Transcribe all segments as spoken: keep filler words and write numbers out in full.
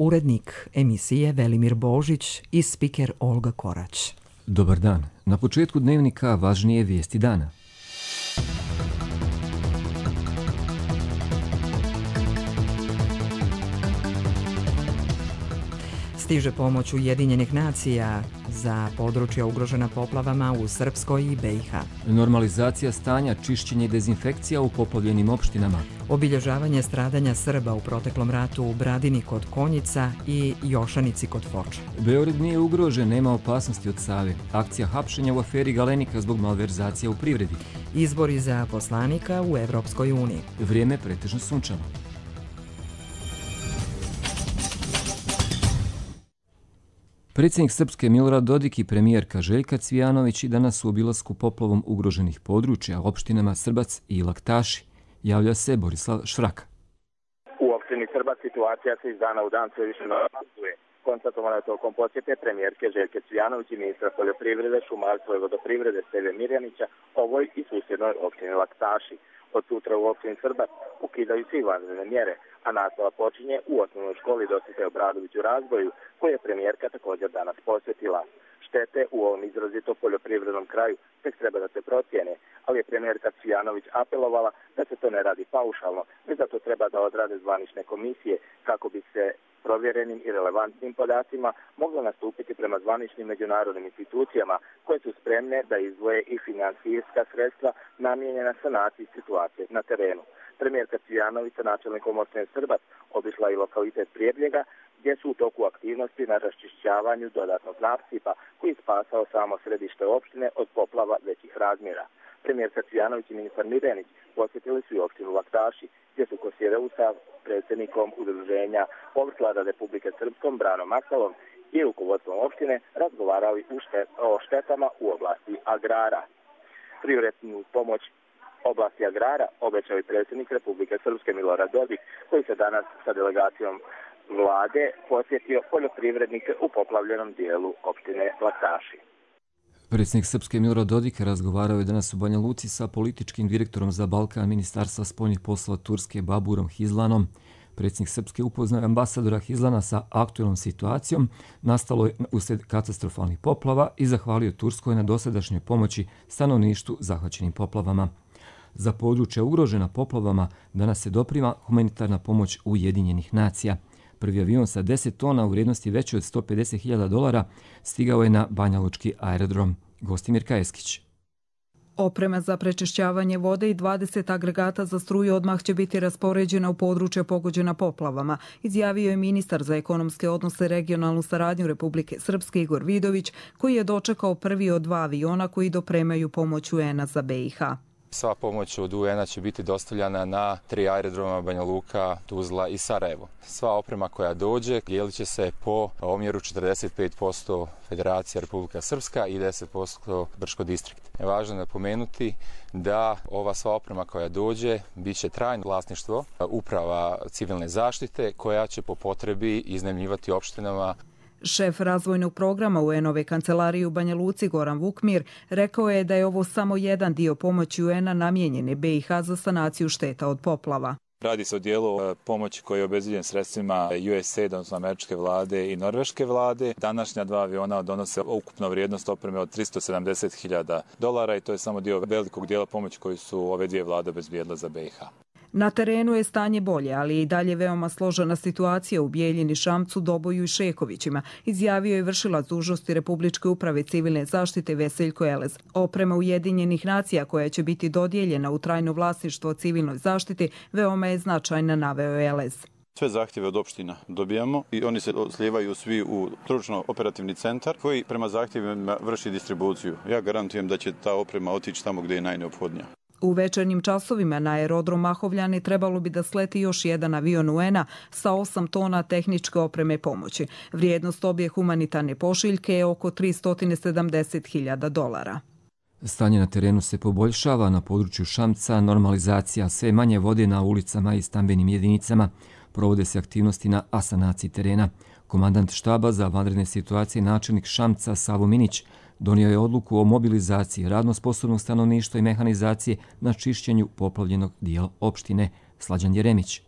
urednik emisije Velimir Božić i spiker Olga Korać. Dobar dan. Na početku dnevnika važnije vijesti dana. Stiže pomoć Ujedinjenih nacija za područja ugrožena poplavama u Srpskoj i be i ha. Normalizacija stanja, čišćenje i dezinfekcija u poplavljenim opštinama. Obilježavanje stradanja Srba u proteklom ratu u Bradini kod Konjica i Jošanici kod Foča. Beograd nije ugrožen, nema opasnosti od Save. Akcija hapšenja u aferi Galenika zbog malverzacija u privredi. Izbori za poslanika u Evropskoj uniji. Vrijeme pretežno sunčano. Predsjednik Srpske Milorad Dodik i premijerka Željka Cvijanović i danas su u obilasku poplavom ugroženih područja opštinama Srbac i Laktaši. Javlja se Borislav Švraka. U opštini Srbac situacija se iz dana u dan sve više normalizuje. Konstatovano je tokom posjete premijerke Željke Cvijanović i ministra poljoprivrede, šumarstva i vodoprivrede Steve Mirjanića ovoj i susjednoj opštini Laktaši. Od sutra u opštini Srbac ukidaju svi vanredne mjere, a nastava počinje u osnovnoj školi Dositej Obradović u Razboju, koju je premijerka također danas posjetila. Štete u ovom izrazito poljoprivrednom kraju tek treba da se procijene, ali je premijerka Cvijanović apelovala da se to ne radi paušalno, već da to treba da odrade zvanične komisije kako bi se provjerenim i relevantnim podacima moglo nastupiti prema zvaničnim međunarodnim institucijama koje su spremne da izdvoje i finansijska sredstva namijenjena sanaciji situacije na terenu. Premijerka Cvijanović sa načelnikom opštine Srbac obišla i lokalitet Prijebljega, gdje su u toku aktivnosti na raščišćavanju dodatnog nasipa koji spasao samo središte opštine od poplava većih razmjera. Premijerka Cvijanović i ministar Mirjanić posjetili su i opštinu Laktaši, gdje su Kosjerevu sa predsjednikom udruženja Povrtlara Republike Srpskom Branom Maksalom i rukovodstvom opštine razgovarali o štetama u oblasti agrara. Prioritnu pomoć oblasti agrara obećao i predsjednik Republike Srpske Milorad Dodik, koji se danas sa delegacijom vlade posjetio poljoprivrednike u poplavljenom dijelu opštine Laktaši. Predsjednik Srpske Milorad Dodik razgovarao je danas u Banja Luci sa političkim direktorom za Balkan Ministarstva spoljnih poslova Turske Baburom Hizlanom. Predsjednik Srpske upoznao ambasadora Hizlana sa aktualnom situacijom nastalo je uslijed katastrofalnih poplava i zahvalio Turskoj na dosadašnjoj pomoći stanovništvu zahvaćenim poplavama. Za područja ugrožena poplavama danas se doprima humanitarna pomoć Ujedinjenih nacija. Prvi avion sa deset tona u vrijednosti veće od sto pedeset hiljada dolara stigao je na Banjalučki aerodrom. Gostimir Kajeskić. Oprema za prečišćavanje vode i dvadeset agregata za struju odmah će biti raspoređena u područje pogođena poplavama, izjavio je ministar za ekonomske odnose i regionalnu saradnju Republike Srpske Igor Vidović, koji je dočekao prvi od dva aviona koji dopremaju pomoć U en a za be i ha. Sva pomoć od U en a će biti dostavljana na tri aerodroma Banja Luka, Tuzla i Sarajevo. Sva oprema koja dođe dijelit će se po omjeru četrdeset pet posto Federacija Republika Srpska i deset posto Brčko distrikt. Važno je napomenuti da ova sva oprema koja dođe bit će trajno vlasništvo uprava civilne zaštite koja će po potrebi iznajmljivati opštinama. Šef razvojnog programa U en ove kancelarije u Banja Luci Goran Vukmir rekao je da je ovo samo jedan dio pomoći U en a namijenjene be i ha za sanaciju šteta od poplava. Radi se o dijelu pomoći koji je obezbijeđen sredstvima U S A I D, odnosno američke vlade i norveške vlade. Današnja dva aviona donose ukupno vrijednost opreme od tristo sedamdeset hiljada dolara i to je samo dio velikog dijela pomoći koju su ove dvije vlade obezbijedile za be i ha. Na terenu je stanje bolje, ali je i dalje veoma složena situacija u Bijeljini, Šamcu, Doboju i Šekovićima, izjavio je vršilac dužnosti Republičke uprave civilne zaštite Veseljko Elez. Oprema Ujedinjenih nacija koja će biti dodijeljena u trajno vlasništvo civilnoj zaštiti veoma je značajna, naveo je Elez. Sve zahtjeve od opština dobijamo i oni se slijevaju svi u stručno-operativni centar koji prema zahtjevima vrši distribuciju. Ja garantujem da će ta oprema otići tamo gdje je najneophodnija. U večernjim časovima na aerodrom Mahovljani trebalo bi da sleti još jedan avion U en a sa osam tona tehničke opreme pomoći. Vrijednost obje humanitarne pošiljke je oko tristo sedamdeset hiljada dolara. Stanje na terenu se poboljšava, na području Šamca normalizacija, sve manje vode na ulicama i stambenim jedinicama. Provode se aktivnosti na asanaciji terena. Komandant štaba za vanredne situacije, načelnik Šamca Savo Minić, donio je odluku o mobilizaciji radno sposobnog stanovništva i mehanizacije na čišćenju poplavljenog dijela opštine. Slađan Jeremić.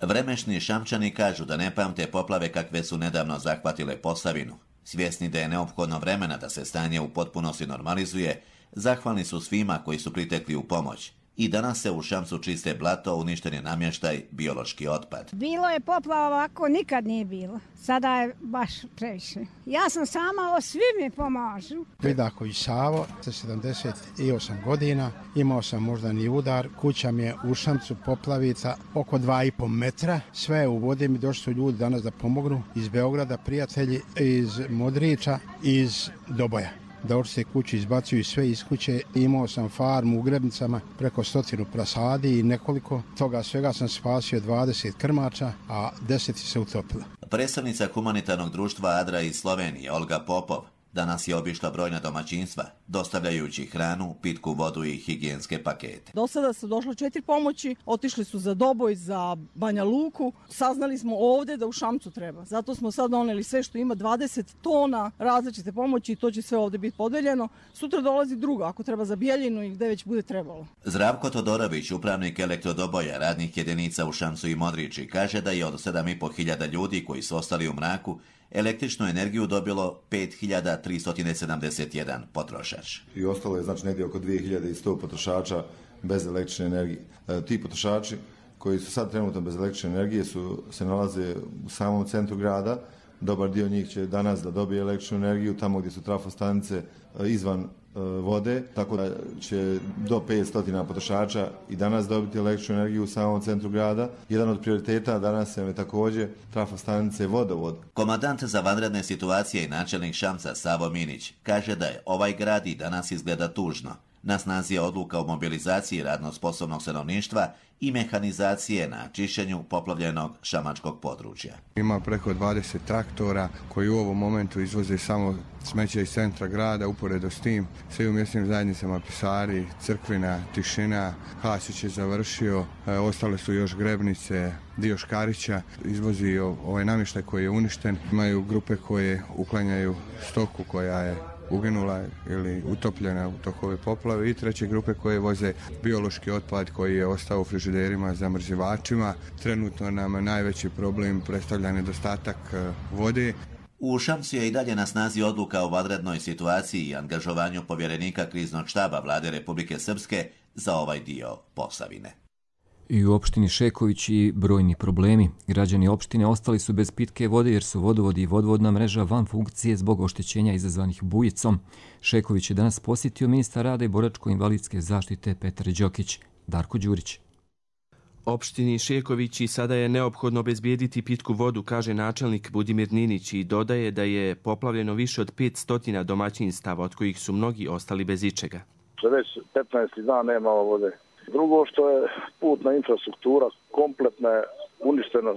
Vremešni Šamčani kažu da ne pamte poplave kakve su nedavno zahvatile Posavinu. Svjesni da je neophodno vremena da se stanje u potpunosti normalizuje, zahvalni su svima koji su pritekli u pomoć. I danas se u Šamcu čiste blato, uništen je namještaj, biološki otpad. Bilo je poplava ovako, nikad nije bilo. Sada je baš previše. Ja sam sama, svi mi pomažu. Vidako i Savo, sa sedamdeset osam godina, imao sam moždani udar, kuća mi je u Šamcu poplavica oko dva i pol metra. Sve je u vodi, mi došli su ljudi danas da pomognu iz Beograda, prijatelji iz Modrića, iz Doboja. Da se kući izbacuju sve iz kuće. Imao sam farmu u Grebnicama, preko stotinu prasadi i nekoliko. Toga svega sam spasio dvadeset krmača, a deset se utopilo. Predstavnica humanitarnog društva Adra iz Slovenije, Olga Popov, danas je obišla brojna domaćinstva, dostavljajući hranu, pitku vodu i higijenske pakete. Do sada su došle četiri pomoći, otišli su za Doboj, za Banja Luku. Saznali smo ovdje da u Šamcu treba. Zato smo sad doneli sve što ima, dvadeset tona različite pomoći i to će sve ovdje biti podeljeno. Sutra dolazi druga, ako treba za Bijeljinu i gdje već bude trebalo. Zdravko Todorović, upravnik Elektrodoboja, radnih jedinica u Šamcu i Modrići, kaže da je od sedam i po hiljada ljudi koji su ostali u mraku električnu energiju dobilo pet hiljada tristo sedamdeset jedan potrošač. I ostalo je znači negdje oko dvije hiljade sto potrošača bez električne energije. E, ti potrošači koji su sad trenutno bez električne energije su, se nalaze u samom centru grada. Dobar dio njih će danas da dobije električnu energiju tamo gdje su trafostanice izvan e, vode, tako da će do petsto potrošača i danas dobiti električnu energiju u samom centru grada. Jedan od prioriteta danas je također trafostanice vodovod. Komandant za vanredne situacije i načelnik Šamca Savo Minić kaže da je ovaj grad i danas izgleda tužno. Na snazi je odluka o mobilizaciji radno sposobnog stanovništva i mehanizacije na čišćenju poplavljenog šamačkog područja. Ima preko dvadeset traktora koji u ovom momentu izvoze samo smeće iz centra grada. Uporedo s tim svi u mjesnim zajednicama Pisari, Crkvina, Tišina, Hasić je završio, e, ostale su još Grebnice, dio Škarića, izvozi ovaj namještaj koji je uništen. Imaju grupe koje uklanjaju stoku koja je uginula ili utopljena u tokove poplave i treće grupe koje voze biološki otpad koji je ostao u frižiderima, zamrzivačima. Trenutno nam najveći problem predstavlja nedostatak vode. U Šamcu je i dalje na snazi odluka o vanrednoj situaciji i angažovanju povjerenika kriznog štaba Vlade Republike Srpske za ovaj dio Posavine. I u opštini Šeković i brojni problemi. Građani opštine ostali su bez pitke vode jer su vodovodi i vodovodna mreža van funkcije zbog oštećenja izazvanih bujicom. Šeković je danas posjetio ministar rada i boračko-invalidske zaštite Petar Đokić. Darko Đurić. Opštini Šeković i sada je neophodno obezbijediti pitku vodu, kaže načelnik Budimir Ninić i dodaje da je poplavljeno više od petsto domaćinstava, od kojih su mnogi ostali bez ičega. Već petnaesti dan nema vode. Drugo što je putna infrastruktura kompletna je uništena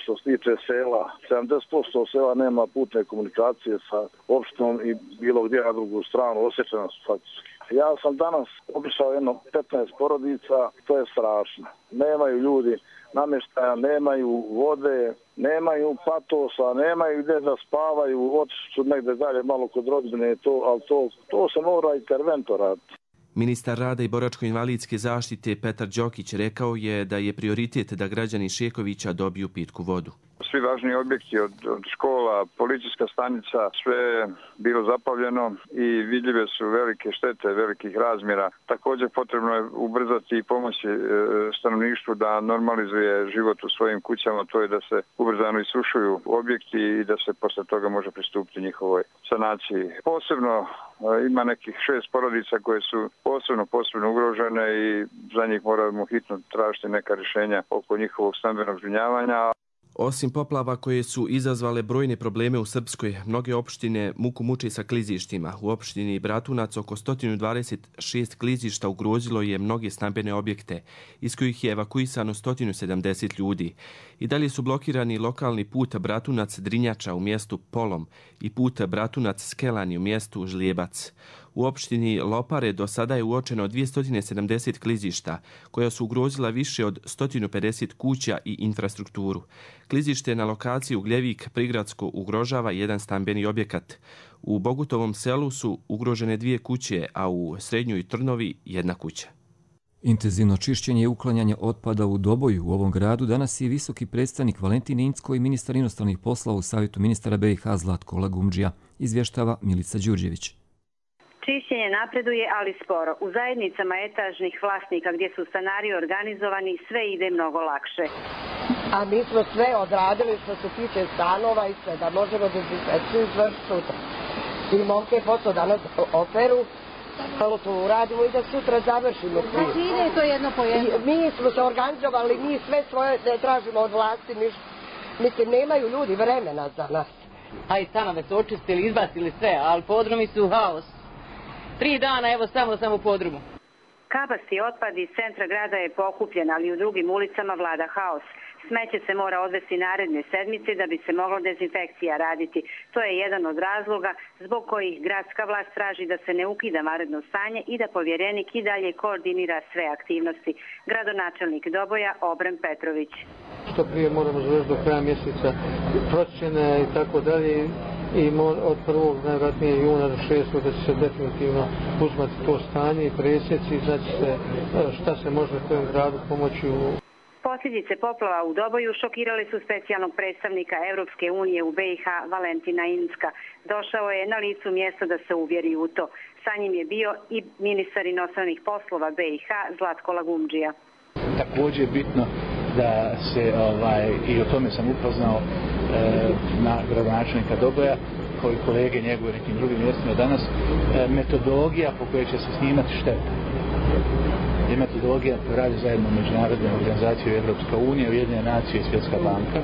što se tiče sela. sedamdeset posto sela nema putne komunikacije sa opštinom i bilo gdje na drugu stranu, osjećana su faktički. Ja sam danas obišao jedno petnaest porodica, to je strašno. Nemaju ljudi namještaja, nemaju vode, nemaju patosa, nemaju gdje da spavaju, otišli su negdje dalje malo kod rodbine, to, ali to, to se mora interventor raditi. Ministar rada i boračko-invalidske zaštite Petar Đokić rekao je da je prioritet da građani Šekovića dobiju pitku vodu. Svi važni objekti od, od škola, policijska stanica, sve je bilo zapavljeno i vidljive su velike štete, velikih razmjera. Također potrebno je ubrzati i pomoći e, stanovništvu da normalizuje život u svojim kućama, to je da se ubrzano isušuju objekti i da se posle toga može pristupiti njihovoj sanaciji. Posebno e, ima nekih šest porodica koje su posebno, posebno ugrožene i za njih moramo hitno tražiti neka rješenja oko njihovog stambenog zbrinjavanja. Osim poplava koje su izazvale brojne probleme u Srpskoj, mnoge opštine muku muče sa klizištima. U opštini Bratunac oko sto dvadeset šest klizišta ugrozilo je mnoge stambene objekte, iz kojih je evakuisano sto sedamdeset ljudi. I dalje su blokirani lokalni put Bratunac-Drinjača u mjestu Polom i put Bratunac-Skelani u mjestu Žljebac. U opštini Lopare do sada je uočeno dvjesto sedamdeset klizišta, koja su ugrozila više od sto pedeset kuća i infrastrukturu. Klizište na lokaciji Ugljevik prigradsko ugrožava jedan stambeni objekat. U Bogutovom selu su ugrožene dvije kuće, a u Srednjoj Trnovi jedna kuća. Intenzivno čišćenje i uklanjanje otpada u Doboju u ovom gradu danas je visoki predstavnik Valentin Incko i ministar inostranih poslova u Savjetu ministara B i H Zlatko Lagumdžija, izvještava Milica Đurđević. Čišćenje napreduje, ali sporo. U zajednicama etažnih vlasnika gdje su stanari organizovani sve ide mnogo lakše. A mi smo sve odradili što se tiče stanova i sve, da možemo dezinfekciju izvršiti sutra. I momke posao danas operu, halo to uradimo i da sutra završimo. Znači ide to jedno po jedno? Mi smo se organizovali, mi sve svoje ne tražimo od vlasti, ništa. Mislim, nemaju ljudi vremena za nas. A i stanove su očistili, izbacili sve, ali podrumi su haos. Tri dana, evo samo sam u podrumu. Kabasti otpad iz centra grada je pokupljen, ali u drugim ulicama vlada haos. Smeće se mora odvesti naredne sedmice da bi se moglo dezinfekcija raditi. To je jedan od razloga zbog kojih gradska vlast traži da se ne ukida vanredno stanje i da povjerenik i dalje koordinira sve aktivnosti. Gradonačelnik Doboja Obren Petrović. Što prije moramo završiti do kraja mjeseca procjene i tako dalje. I od prvog najvratnije juna do šestog da će se definitivno uzmati to stanje i presjeci, znači se šta se može kojem gradu pomoći u... Posljedice poplava u Doboju šokirale su specijalnog predstavnika Europske unije u B i H Valentina Incka. Došao je na licu mjesta da se uvjeri u to. Sa njim je bio i ministar inostranih poslova B i H Zlatko Lagumdžija. Također je bitno da se, ovaj, i o tome sam upoznao e, na gradonačelnika Doboja, kao i kolege njegove nekim drugim mjestima danas, e, metodologija po kojoj će se snimati šteta. Je metodologija koja radi zajedno međunarodne organizacije Evropska unija, Ujedinjene nacije i Svjetska banka.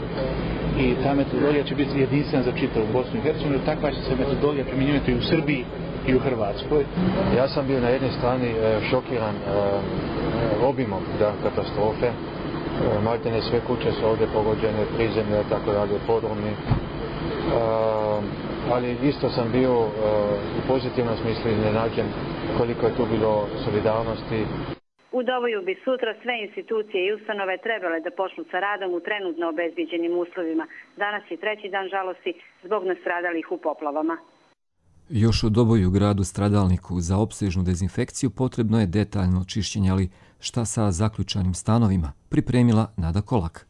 I ta metodologija će biti jedinstvena za čitavu Bosnu i Hercegovinu, takva će se metodologija primjenjivati i u Srbiji i u Hrvatskoj. Ja sam bio na jednoj strani šokiran obimom katastrofe. Maltene sve kuće su ovdje pogođene, prizemlje, tako dalje, podrumi. Ali isto sam bio u pozitivnom smislu iznenađen koliko je tu bilo solidarnosti. U Doboju bi sutra sve institucije i ustanove trebale da počnu sa radom u trenutno obezbiđenim uslovima. Danas je treći dan žalosti zbog nastradalih u poplavama. Još u Doboju, gradu stradalniku, za opsežnu dezinfekciju potrebno je detaljno čišćenje, ali šta sa zaključanim stanovima, pripremila Nada Kolak.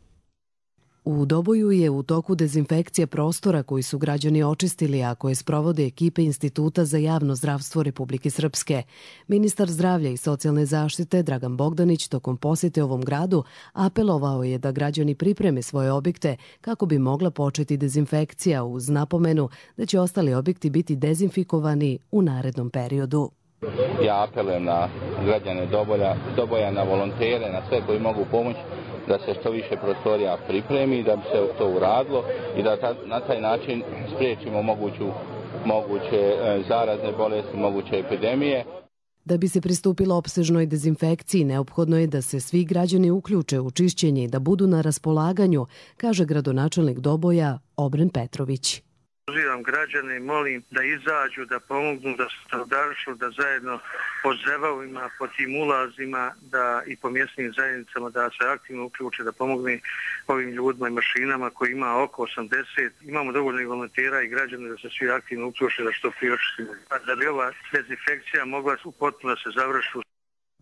U Doboju je u toku dezinfekcija prostora koji su građani očistili, a koje sprovode ekipe Instituta za javno zdravstvo Republike Srpske. Ministar zdravlja i socijalne zaštite Dragan Bogdanić tokom posjete ovom gradu apelovao je da građani pripreme svoje objekte kako bi mogla početi dezinfekcija, uz napomenu da će ostali objekti biti dezinfikovani u narednom periodu. Ja apelujem na građane Doboja, Doboja, na volontere, na sve koji mogu pomoći da se što više prostorija pripremi, da bi se to uradilo i da ta, na taj način spriječimo moguću, moguće zarazne bolesti, moguće epidemije. Da bi se pristupilo opsežnoj dezinfekciji, neophodno je da se svi građani uključe u čišćenje i da budu na raspolaganju, kaže gradonačelnik Doboja Obren Petrović. Pozivam građane i molim da izađu, da pomognu, da se solidarišu, da zajedno po zebavima, po tim ulazima da i po mjesnim zajednicama da se aktivno uključe, da pomogne ovim ljudima i mašinama koji ima oko osamdeset. Imamo dovoljno i volontera i građane da se svi aktivno uključe da što prije očistimo. Da bi ova dezinfekcija mogla potpuno da se završi.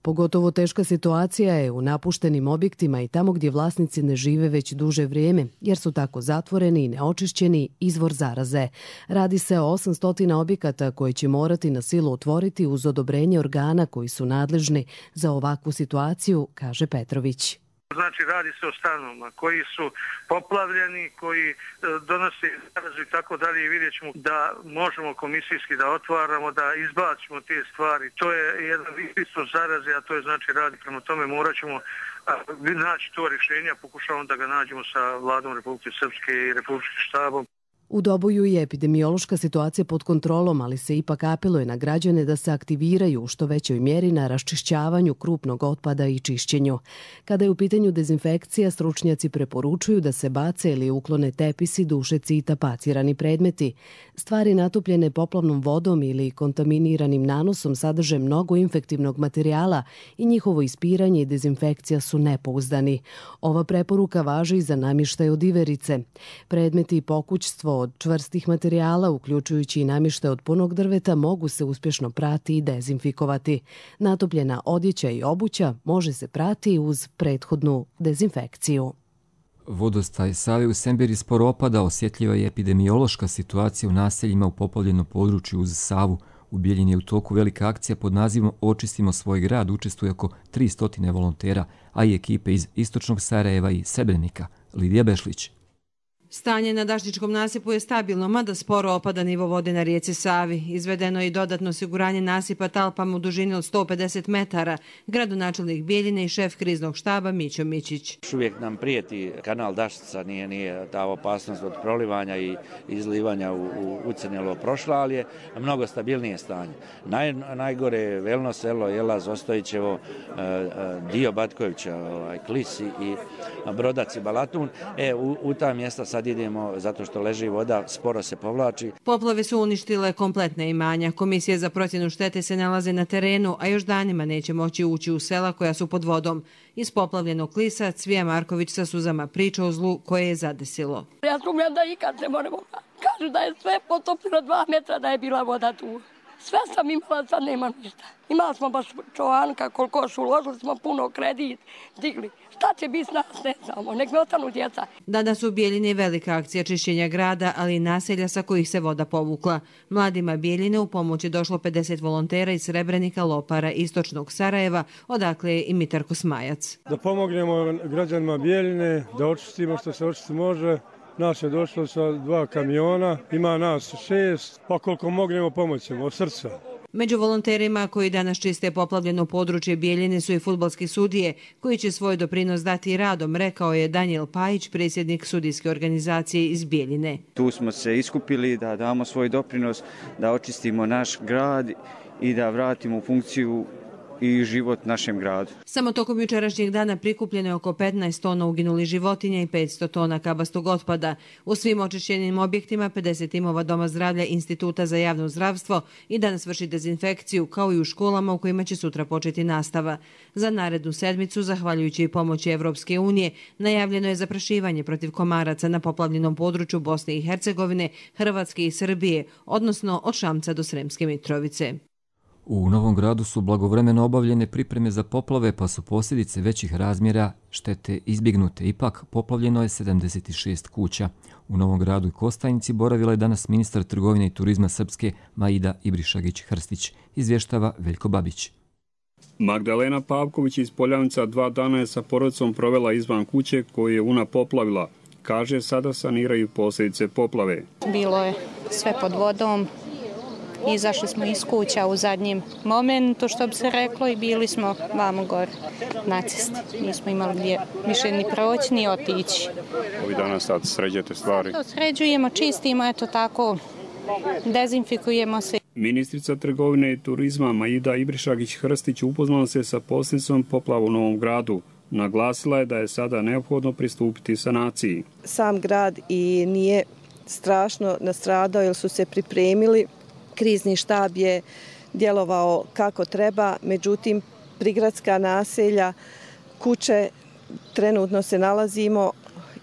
Pogotovo teška situacija je u napuštenim objektima i tamo gdje vlasnici ne žive već duže vrijeme, jer su tako zatvoreni i neočišćeni izvor zaraze. Radi se o osamsto objekata koje će morati na silu otvoriti uz odobrenje organa koji su nadležni za ovakvu situaciju, kaže Petrović. Znači, radi se o stanovima koji su poplavljeni, koji e, donose zarazu i tako dalje i vidjet ćemo da možemo komisijski da otvaramo, da izbacimo te stvari. To je jedan isto zaraze, a to je znači radi. Prema tome morat ćemo naći to rješenje, pokušavamo da ga nađemo sa vladom Republike Srpske i Republičkim štabom. U Doboju je epidemiološka situacija pod kontrolom, ali se ipak apeluje na građane da se aktiviraju u što većoj mjeri na raščišćavanju krupnog otpada i čišćenju. Kada je u pitanju dezinfekcija, stručnjaci preporučuju da se bace ili uklone tepisi, dušeci i tapacirani predmeti. Stvari natopljene poplavnom vodom ili kontaminiranim nanosom sadrže mnogo infektivnog materijala i njihovo ispiranje i dezinfekcija su nepouzdani. Ova preporuka važi i za namještaj od iverice. Predmeti i pokućstvo od čvrstih materijala, uključujući i namještaj od punog drveta, mogu se uspješno prati i dezinfikovati. Natopljena odjeća i obuća može se prati uz prethodnu dezinfekciju. Vodostaj Save u Semberi sporo opada, osjetljiva je epidemiološka situacija u naseljima u poplavljenom području uz Savu. U Bijeljini je u toku velika akcija pod nazivom Očistimo svoj grad, učestvuje oko tristo volontera, a i ekipe iz Istočnog Sarajeva i Srebrenika. Lidija Bešlić. Stanje na Dašničkom nasipu je stabilno, mada sporo opada nivo vode na rijeci Savi. Izvedeno je i dodatno osiguranje nasipa talpama u dužini od sto pedeset metara. Gradonačelnik Bijeljine i šef kriznog štaba Mićo Mićić. Uvijek nam prijeti kanal Dašnica, nije, nije ta opasnost od prolivanja i izlivanja u, u ucrnjelo prošla, ali je mnogo stabilnije stanje. Naj, najgore je Velno selo, Jelaz, Ostojićevo, dio Batkovića, ovaj, Klisi i Brodac i Balatun. E, u, u ta mjesta sad idemo zato što leži voda, sporo se povlači. Poplave su uništile kompletne imanja. Komisije za procjenu štete se nalaze na terenu, a još danima neće moći ući u sela koja su pod vodom. Iz poplavljenog Klisa Cvija Marković sa suzama priča o zlu koje je zadesilo. Ja sumnjam da ikad ne moramo. Kažu da je sve potopilo dva metra, da je bila voda tu. Sve sam imala, sad nema ništa. Imali smo baš čovanka, koliko su uložili smo puno kredit, digli. Šta će biti s nas, ne znamo, nek ne ostanu djeca. Danas u Bijeljini velika akcija čišćenja grada, ali i naselja sa kojih se voda povukla. Mladima Bijeljine u pomoć je došlo pedeset volontera iz Srebrenika, Lopara, Istočnog Sarajeva, odakle je i Mitarko Smajac. Da pomognemo građanima Bijeljine, da očistimo što se očistiti može. Nas je došlo sa dva kamiona, ima nas šest, pa koliko mognemo pomoćemo od srca. Među volonterima koji danas čiste poplavljeno područje Bijeljine su i fudbalski sudije, koji će svoj doprinos dati radom, rekao je Danijel Pajić, predsjednik sudijske organizacije iz Bijeljine. Tu smo se iskupili da damo svoj doprinos, da očistimo naš grad i da vratimo funkciju i život našem gradu. Samo tokom jučerašnjeg dana prikupljeno je oko petnaest tona uginulih životinja i petsto tona kabastog otpada. U svim očišćenim objektima pedeset timova Doma zdravlja Instituta za javno zdravstvo i danas vrši dezinfekciju, kao i u školama u kojima će sutra početi nastava. Za narednu sedmicu, zahvaljujući i pomoći Evropske unije, najavljeno je zaprašivanje protiv komaraca na poplavljenom području Bosne i Hercegovine, Hrvatske i Srbije, odnosno od Šamca do Sremske Mitrovice. U Novom Gradu su blagovremeno obavljene pripreme za poplave, pa su posljedice većih razmjera štete izbjegnute. Ipak, poplavljeno je sedamdeset šest kuća. U Novom Gradu i Kostajnici boravila je danas ministar trgovine i turizma Srpske Maida Ibrišagić-Hrstić, izvještava Veljko Babić. Magdalena Pavković iz Poljavnica dva dana je sa porodicom provela izvan kuće koju je Una poplavila. Kaže, sada saniraju posljedice poplave. Bilo je sve pod vodom. Izašli smo iz kuća u zadnjem momentu, što bi se reklo, i bili smo vamo gore na cesti. Nismo imali gdje više ni proći, ni otići. Ovi dana sad sređujete stvari? To sređujemo, čistimo, eto tako, dezinfikujemo se. Ministrica trgovine i turizma Maida Ibrišagić-Hrstić upoznala se sa posljedicom poplava u Novom Gradu. Naglasila je da je sada neophodno pristupiti sanaciji. Sam grad i nije strašno nastradao jer su se pripremili. Krizni štab je djelovao kako treba, međutim prigradska naselja, kuće, trenutno se nalazimo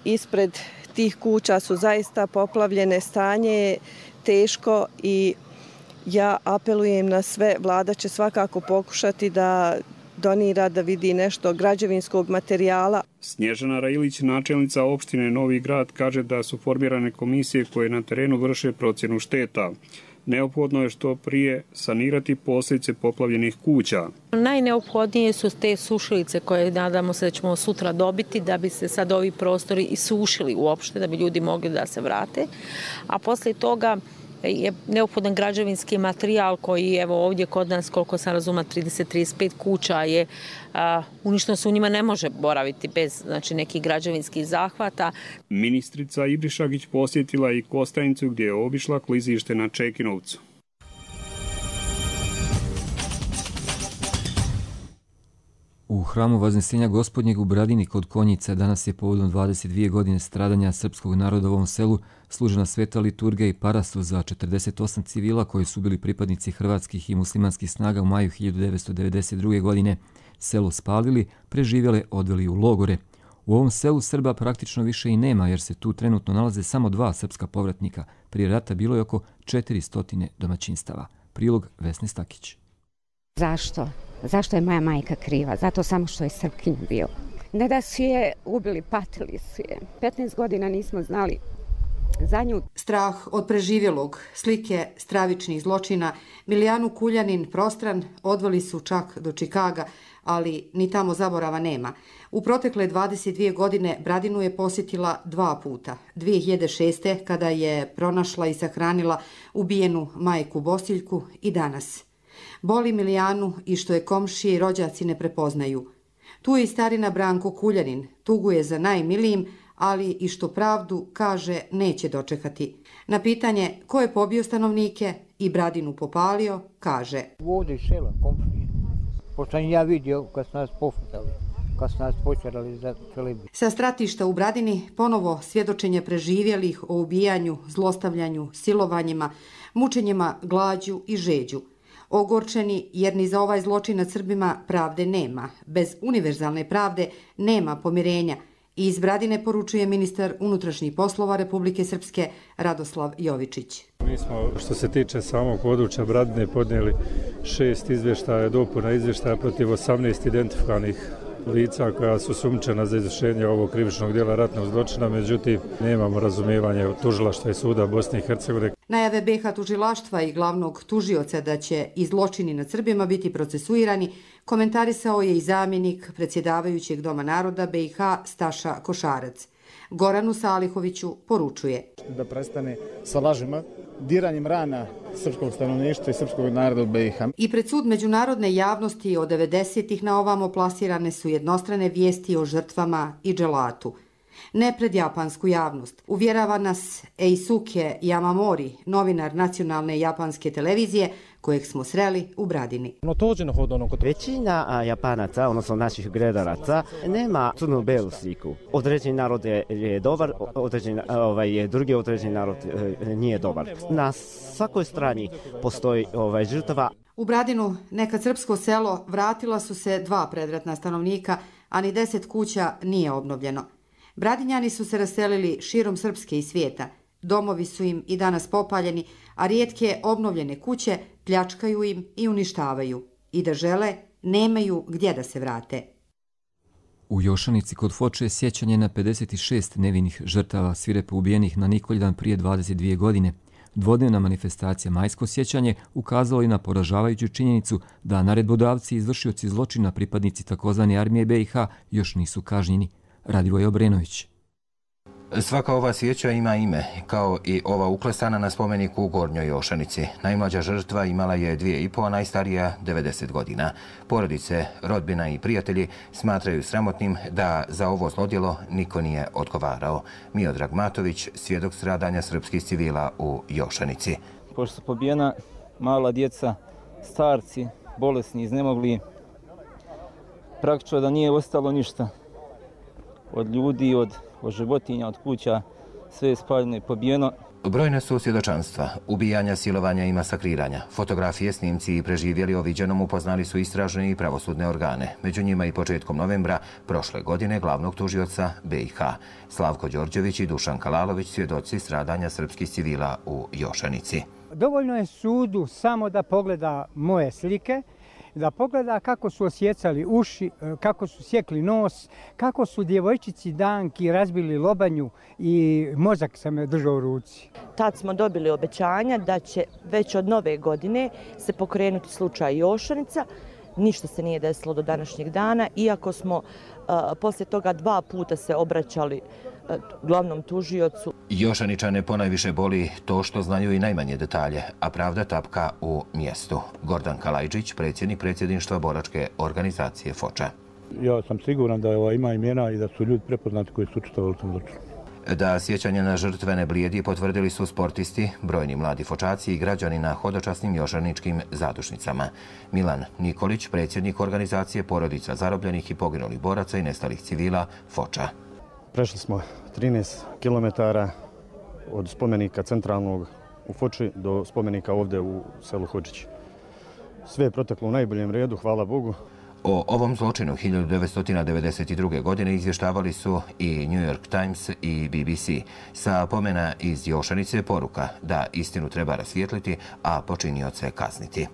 ispred tih kuća su zaista poplavljene, stanje je teško i ja apelujem na sve, vlada će svakako pokušati da donira, da vidi nešto građevinskog materijala. Snježana Railić, načelnica opštine Novi Grad, kaže da su formirane komisije koje na terenu vrše procjenu šteta. Neophodno je što prije sanirati posljedice poplavljenih kuća. Najneophodnije su te sušilice koje nadamo se da ćemo sutra dobiti da bi se sad ovi prostori isušili uopšte, da bi ljudi mogli da se vrate. A poslije toga je neophodan građevinski materijal koji evo ovdje kod nas, koliko sam razuma, trideset do trideset pet kuća je a, uništeno, se u njima ne može boraviti bez znači, nekih građevinskih zahvata. Ministrica Ibrišagić posjetila i Kostajnicu gdje je obišla klizište na Čekinovcu. U hramu Vaznesenja Gospodnjeg u Bradini kod Konjica danas je povodom dvadeset dvije godine stradanja srpskog naroda u ovom selu služena sveta liturgija i parastu za četrdeset osam civila koji su bili pripadnici hrvatskih i muslimanskih snaga u maju hiljadu devetsto devedeset druge. godine. Selo spalili, preživjele odveli u logore. U ovom selu Srba praktično više i nema jer se tu trenutno nalaze samo dva srpska povratnika. Prije rata bilo je oko četiristo domaćinstava. Prilog Vesne Stakić. Zašto? Zašto je moja majka kriva? Zato samo što je Srpkinja bio. Ne da su je ubili, patili su je. petnaest godina nismo znali za nju. Strah od preživjelog, slike stravičnih zločina, Milijanu Kuljanin prostran odveli su čak do Čikaga, ali ni tamo zaborava nema. U protekle dvadeset dvije godine Bradinu je posjetila dva puta. dvije hiljade šeste. kada je pronašla i sahranila ubijenu majku Bosiljku i danas. Boli Milijanu i što je komšije i rođaci ne prepoznaju. Tu je i starina Branko Kuljanin, tuguje za najmilijim, ali i što pravdu, kaže, neće dočekati. Na pitanje ko je pobio stanovnike i Bradinu popalio, kaže: Ovdje iz sela, komšije. Pošto sam ja vidio kad su nas pofutali, kad su nas počerali za Čelebi. Sa stratišta u Bradini ponovo svjedočenje preživjelih o ubijanju, zlostavljanju, silovanjima, mučenjima, glađu i žeđu. Ogorčeni jer ni za ovaj zločin nad Srbima pravde nema. Bez univerzalne pravde nema pomirenja. I iz Bradine poručuje ministar unutrašnjih poslova Republike Srpske Radoslav Jovičić. Mi smo, što se tiče samog područja Bradine, podnijeli šest izvještaja, dopuna izvještaja protiv osamnaest identifikovanih lica koja su sumnjičena za izvršenje ovog krivičnog djela ratnog zločina, međutim nemamo razumijevanje od tužilaštva i suda Bosne i Hercegovine. Najave B i H tužilaštva i glavnog tužioca da će i zločini nad Srbima biti procesuirani komentarisao je i zamjenik predsjedavajućeg Doma naroda B i H Staša Košarac. Goranu Salihoviću poručuje: Da prestane sa lažima, diranjem rana srpskog stanovništva i srpskog naroda u B i H. I pred sud međunarodne javnosti od devedesetih na ovamo plasirane su jednostrane vijesti o žrtvama i dželatu. Ne pred japansku javnost. Uvjerava nas Eisuke Yamamori, novinar nacionalne japanske televizije, kojeg smo sreli u Bradini. Većina Japanaca, odnosno naših gledalaca, nema crnu belu sliku. Određeni narod je dobar, određeni, ovaj, drugi određeni narod nije dobar. Na svakoj strani postoji ovaj, žrtava. U Bradinu, nekad srpsko selo, vratila su se dva predratna stanovnika, a ni deset kuća nije obnovljeno. Bradinjani su se raselili širom Srpske i svijeta. Domovi su im i danas popaljeni, a rijetke obnovljene kuće pljačkaju im i uništavaju. I da žele, nemaju gdje da se vrate. U Jošanici kod Foče je sjećanje na pedeset šest nevinih žrtava svirepo ubijenih na Nikoljan prije dvadeset dvije godine. Dvodnevna manifestacija Majsko sjećanje ukazala i na poražavajuću činjenicu da naredbodavci i izvršioci zločina pripadnici takozvane armije B i H još nisu kažnjeni. Radivoj Obrenović. Svaka ova sjeća ima ime, kao i ova uklesana na spomeniku u Gornjoj Jošanici. Najmlađa žrtva imala je dvije i po, a najstarija devedeset godina. Porodice, rodbina i prijatelji smatraju sramotnim da za ovo zlodjelo niko nije odgovarao. Miodrag Matović, svjedok stradanja srpskih civila u Jošanici. Pošto su pobijena mala djeca, starci, bolesni, iznemogli, praktično da nije ostalo ništa. Od ljudi, od, od životinja, od kuća, sve je spaljeno i pobijeno. Brojne su svjedočanstva, ubijanja, silovanja i masakriranja. Fotografije, snimci i preživjeli o viđenom upoznali su istražne i pravosudne organe. Među njima i početkom novembra prošle godine glavnog tužioca B i H. Slavko Đorđević i Dušan Kalalović, svjedoci stradanja srpskih civila u Jošanici. Dovoljno je sudu samo da pogleda moje slike, da pogleda kako su osjecali uši, kako su sjekli nos, kako su djevojčici Danki razbili lobanju i mozak sam je držao u ruci. Tad smo dobili obećanja da će već od nove godine se pokrenuti slučaj Jošanica. Ništa se nije desilo do današnjeg dana, iako smo uh, poslije toga dva puta se obraćali uh, glavnom tužiocu. Jošaničane ponajviše boli to što znaju i najmanje detalje, a pravda tapka u mjestu. Gordan Kalajđić, predsjednik predsjedništva boračke organizacije Foča. Ja sam siguran da ima imena i da su ljudi prepoznati koji su učestvovali u tom zločinu. Da sjećanje na žrtve ne blijedi potvrdili su sportisti, brojni mladi fočaci i građani na hodočasnim jošaničkim zadušnicama. Milan Nikolić, predsjednik organizacije porodica zarobljenih i poginulih boraca i nestalih civila Foča. Prešli smo trinaest kilometara od spomenika centralnog u Foči do spomenika ovdje u selu Hodžić. Sve je proteklo u najboljem redu, hvala Bogu. O ovom zločinu hiljadu devetsto devedeset druge. godine izvještavali su i New York Times i B B C. Sa pomena iz Jošanice poruka da istinu treba rasvijetliti, a počinioce kazniti.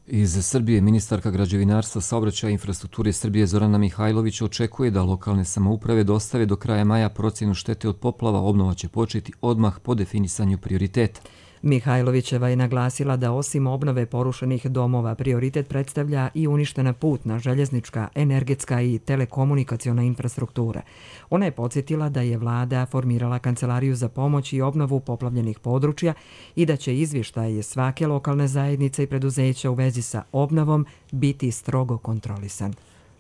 Iz Srbije ministarka građevinarstva, saobraćaja i infrastrukture Srbije Zorana Mihajlović očekuje da lokalne samouprave dostave do kraja maja procjenu štete od poplava. Obnova će početi odmah po definisanju prioriteta. Mihajlovićeva je naglasila da osim obnove porušenih domova prioritet predstavlja i uništena putna, željeznička, energetska i telekomunikaciona infrastruktura. Ona je podsjetila da je vlada formirala kancelariju za pomoć i obnovu poplavljenih područja i da će izvještaj svake lokalne zajednice i preduzeća u vezi sa obnovom biti strogo kontrolisan.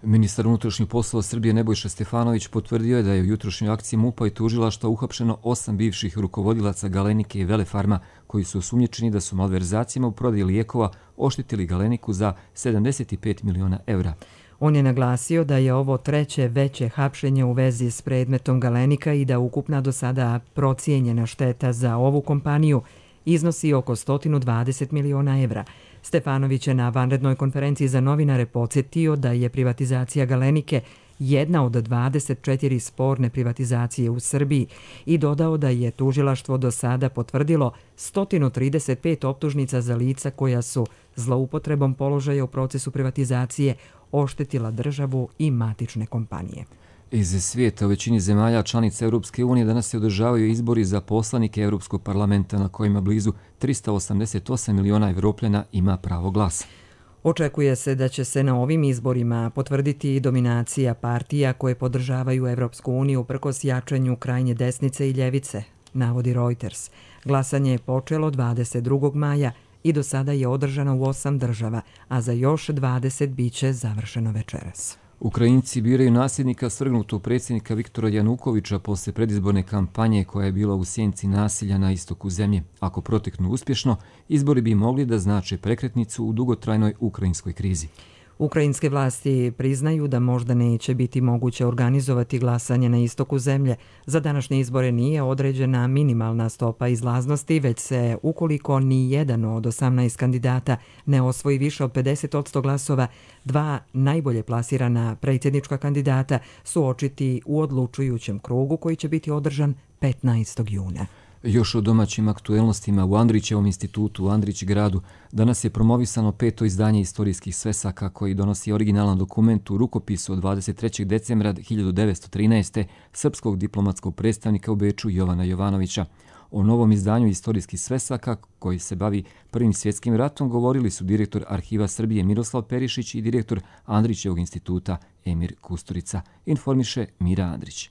Ministar unutrašnjih poslova Srbije Nebojša Stefanović potvrdio je da je u jutrošnjoj akciji MUP-a i tužilaštva uhapšeno osam bivših rukovodilaca Galenike i Velefarma koji su osumnjičeni da su malverzacijama u prodaji lijekova oštetili Galeniku za sedamdeset pet miliona evra. On je naglasio da je ovo treće veće hapšenje u vezi s predmetom Galenika i da ukupna do sada procijenjena šteta za ovu kompaniju iznosi oko sto dvadeset miliona evra. Stefanović je na vanrednoj konferenciji za novinare podsjetio da je privatizacija Galenike jedna od dvadeset četiri sporne privatizacije u Srbiji i dodao da je tužilaštvo do sada potvrdilo sto trideset pet optužnica za lica koja su zloupotrebom položaja u procesu privatizacije oštetila državu i matične kompanije. Iz svijeta u većini zemalja članica Europske unije danas se održavaju izbori za poslanike Europskog parlamenta na kojima blizu trista osamdeset osam miliona Evropljana ima pravo glasa. Očekuje se da će se na ovim izborima potvrditi dominacija partija koje podržavaju Evropsku uniju uprkos jačanju krajnje desnice i ljevice, navodi Reuters. Glasanje je počelo dvadeset drugog maja i do sada je održano u osam država, a za još dvadeset biće završeno večeras. Ukrajinci biraju nasljednika svrgnutog predsjednika Viktora Janukoviča posle predizborne kampanje koja je bila u sjenci nasilja na istoku zemlje. Ako proteknu uspješno, izbori bi mogli da znače prekretnicu u dugotrajnoj ukrajinskoj krizi. Ukrajinske vlasti priznaju da možda neće biti moguće organizovati glasanje na istoku zemlje. Za današnje izbore nije određena minimalna stopa izlaznosti, već se ukoliko ni jedan od osamnaest kandidata ne osvoji više od pedeset posto glasova, dva najbolje plasirana predsjednička kandidata suočiti u odlučujućem krugu koji će biti održan petnaestog juna. Još o domaćim aktuelnostima u Andrićevom institutu u Andrić gradu danas je promovisano peto izdanje istorijskih svesaka koji donosi originalan dokument u rukopisu od dvadeset trećeg decembra hiljadu devetsto trinaeste. srpskog diplomatskog predstavnika u Beču Jovana Jovanovića. O novom izdanju istorijskih svesaka koji se bavi Prvim svjetskim ratom govorili su direktor Arhiva Srbije Miroslav Perišić i direktor Andrićevog instituta Emir Kusturica, informiše Mira Andrić.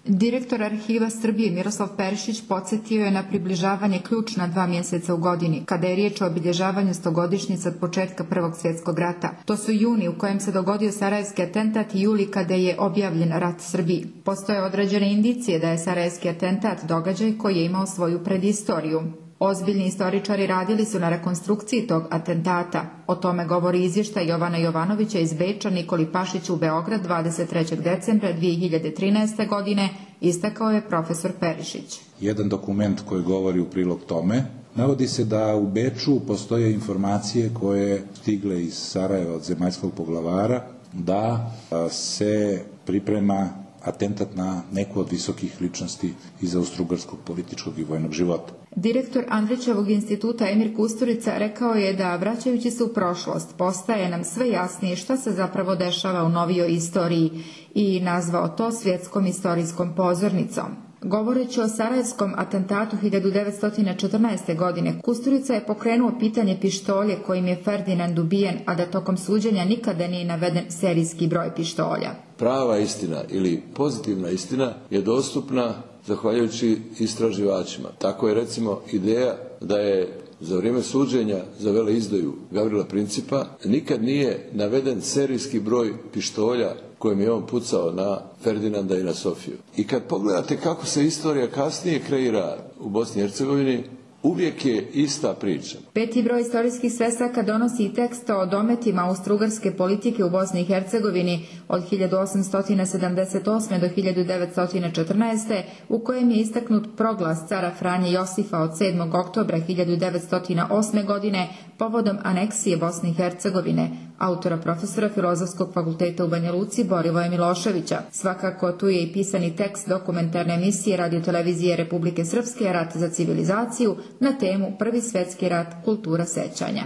Direktor Arhiva Srbije Miroslav Perišić podsjetio je na približavanje ključna dva mjeseca u godini, kada je riječ o obilježavanju stogodišnjice od početka Prvog svjetskog rata. To su juni u kojem se dogodio sarajevski atentat i juli kada je objavljen rat Srbiji. Postoje određene indicije da je sarajevski atentat događaj koji je imao svoju predistoriju. Ozbiljni istoričari radili su na rekonstrukciji tog atentata. O tome govori izvještaj Jovana Jovanovića iz Beča Nikoli Pašiću u Beograd dvadeset trećeg decembra dvije hiljade trinaeste. godine, istakao je profesor Perišić. Jedan dokument koji govori u prilog tome, navodi se da u Beču postoje informacije koje stigle iz Sarajeva od zemaljskog poglavara da se priprema atentat na neku od visokih ličnosti iz austrougarskog političkog i vojnog života. Direktor Andrićevog instituta Emir Kusturica rekao je da, vraćajući se u prošlost, postaje nam sve jasnije šta se zapravo dešava u novijoj istoriji i nazvao to svjetskom istorijskom pozornicom. Govoreći o sarajevskom atentatu hiljadu devetsto četrnaeste. godine, Kusturica je pokrenuo pitanje pištolje kojim je Ferdinand ubijen, a da tokom suđenja nikada nije naveden serijski broj pištolja. Prava istina ili pozitivna istina je dostupna zahvaljujući istraživačima. Tako je recimo ideja da je za vrijeme suđenja za veleizdaju Gavrila Principa nikad nije naveden serijski broj pištolja kojim je on pucao na Ferdinanda i na Sofiju. I kad pogledate kako se istorija kasnije kreira u Bosni i Hercegovini, uvijek je ista priča. Peti broj istorijskih svesaka donosi i tekst o dometima austrougarske politike u Bosni i Hercegovini od hiljadu osamsto sedamdeset osme do hiljadu devetsto četrnaeste. u kojem je istaknut proglas cara Franje Josifa od sedmog oktobra hiljadu devetsto osme. godine povodom aneksije Bosne i Hercegovine, autora profesora Filozofskog fakulteta u Banja Luci Borivoja Miloševića. Svakako tu je i pisani tekst dokumentarne emisije radiotelevizije Republike Srpske Rat za civilizaciju na temu Prvi svjetski rat, kultura sećanja.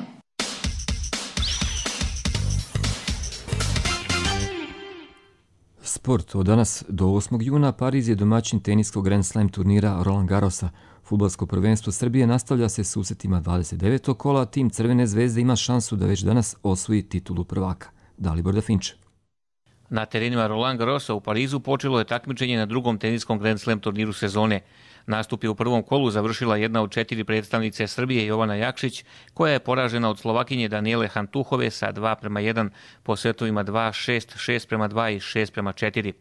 Sport. Od danas do osmog juna Pariz je domaćin teniskog Grand Slam turnira Roland Garrosa. Fudbalsko prvenstvo Srbije nastavlja se susretima dvadeset devetog kola, tim Crvene zvezde ima šansu da već danas osvoji titulu prvaka. Dalibor Dafinče. Na terenima Roland Garrosa u Parizu počelo je takmičenje na drugom teniskom Grand Slam turniru sezone. Nastup je u prvom kolu završila jedna od četiri predstavnice Srbije, Jovana Jakšić, koja je poražena od Slovakinje Danijele Hantuhove sa dva prema jedan po setovima dva šest, šest prema dva i šest prema četiri.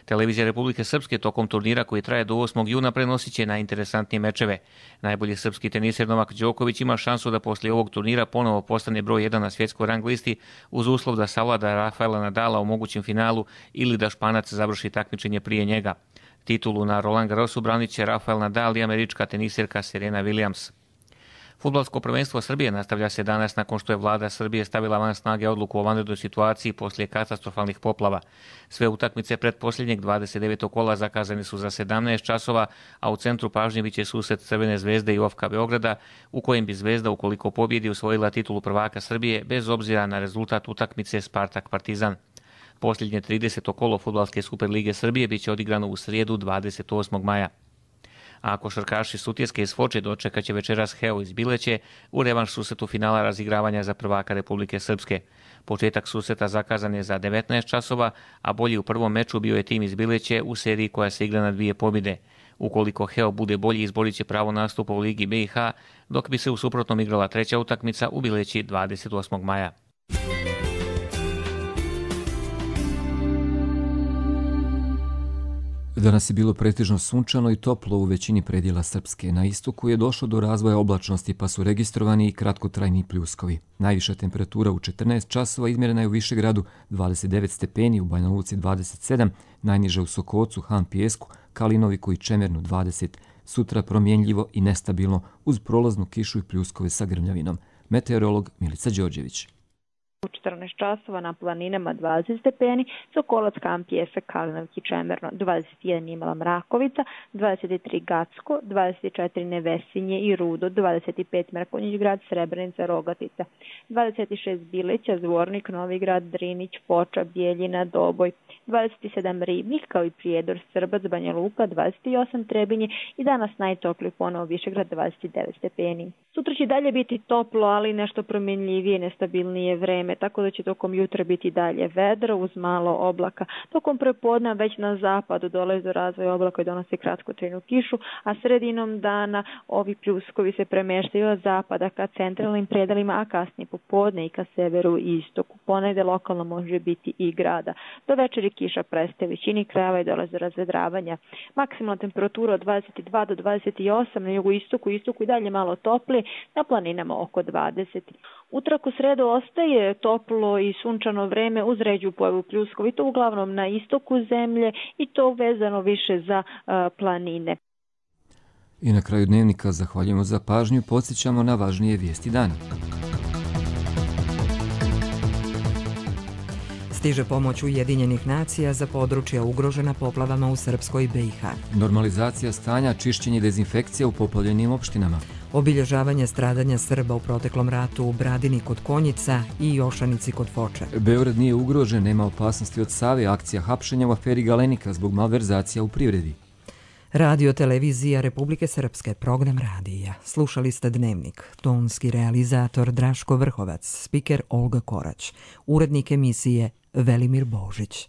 Televizija Republike Srpske tokom turnira koji traje do osmog juna prenosit će najinteresantnije mečeve. Najbolji srpski teniser Novak Đoković ima šansu da poslije ovog turnira ponovo postane broj jedan na svjetskoj rang listi uz uslov da savlada Rafaela Nadala u mogućem finalu ili da Španac završi takmičenje prije njega. Titulu na Roland Garrosu branit će Rafael Nadal i američka teniserka Serena Williams. Fudbalsko prvenstvo Srbije nastavlja se danas nakon što je vlada Srbije stavila van snage odluku o vanrednoj situaciji poslije katastrofalnih poplava. Sve utakmice pretposljednjeg dvadeset devetog kola zakazane su za sedamnaest časova, a u centru pažnje biće susret Crvene zvezde i O F K Beograda, u kojem bi Zvezda, ukoliko pobjedi, usvojila titulu prvaka Srbije bez obzira na rezultat utakmice Spartak Partizan. Posljednje trideseto kolo Fudbalske Superlige Srbije biće odigrano u srijedu dvadeset osmog maja. A košarkaši Sutjeske iz Foče dočekat će večeras Heo iz Bileće u revanš susretu finala razigravanja za prvaka Republike Srpske. Početak susreta zakazan je za devetnaest časova, a bolji u prvom meču bio je tim iz Bileće u seriji koja se igra na dvije pobjede. Ukoliko Heo bude bolji, izborit će pravo nastupa u Ligi B i H, dok bi se u suprotnom igrala treća utakmica u Bileći dvadeset osmog maja. Danas je bilo pretežno sunčano i toplo u većini predjela Srpske. Na istoku je došlo do razvoja oblačnosti pa su registrovani i kratkotrajni pljuskovi. Najviša temperatura u četrnaest časova izmjerena je u Višegradu dvadeset devet stepeni, u Banja Luci dvadeset sedam, najniže u Sokocu, Han Pijesku, Kalinoviku i Čemernu dvadeset. Sutra promjenljivo i nestabilno uz prolaznu kišu i pljuskove sa grmljavinom. Meteorolog Milica Đorđević. U četrnaest časova na planinama dvadeset stepeni, Sokolac, Han Pijesak, Kalinović i Čemerno, dvadeset jedan Imala Mrakovica, dvadeset tri Gacko, dvadeset četiri Nevesinje i Rudo, dvadeset pet Mrkonjić Grad, Srebrenica, Rogatica, dvadeset šest Bileća, Zvornik, Novi Grad, Drinić, Foča, Bijeljina, Doboj, dvadeset sedam Ribnik, kao i Prijedor, Srbac, Banja Luka, dvadeset osam Trebinje i danas najtopliji ponovo Višegrad, dvadeset devet stepeni. Sutra će dalje biti toplo, ali nešto promjenljivije, nestabilnije vreme, tako da će tokom jutra biti dalje vedro uz malo oblaka. Tokom prepodne već na zapadu dolazi do razvoja oblaka i donose kratkotrajnu kišu, a sredinom dana ovi pljuskovi se premeštaju od zapada ka centralnim predelima, a kasnije popodne i ka severu i istoku. Ponegde lokalno može biti i grada. Do večeri kiša prestaje većini krajeva i dolazi do razvedravanja. Maksimalna temperatura od dvadeset dva do dvadeset osam, na jugu istoku, istoku i dalje malo toplije, na planinama oko dvadeset. Utorak u sredu ostaje toplo i sunčano vreme uz ređu pojavu pljuskovi, to uglavnom na istoku zemlje i to vezano više za uh, planine. I na kraju dnevnika zahvaljujemo za pažnju, podsjećamo na važnije vijesti dana. Stiže pomoć Ujedinjenih nacija za područja ugrožena poplavama u Srpskoj i B i H. Normalizacija stanja, čišćenje i dezinfekcija u poplavljenim opštinama. Obilježavanje stradanja Srba u proteklom ratu u Bradini kod Konjica i Jošanici kod Foče. Beograd nije ugrožen, nema opasnosti od Save, akcija hapšenja u aferi Galenika zbog malverzacija u privredi. Radio televizija Republike Srpske, program radija. Slušali ste Dnevnik. Tonski realizator Draško Vrhovac, spiker Olga Korać, urednik emisije Velimir Božić.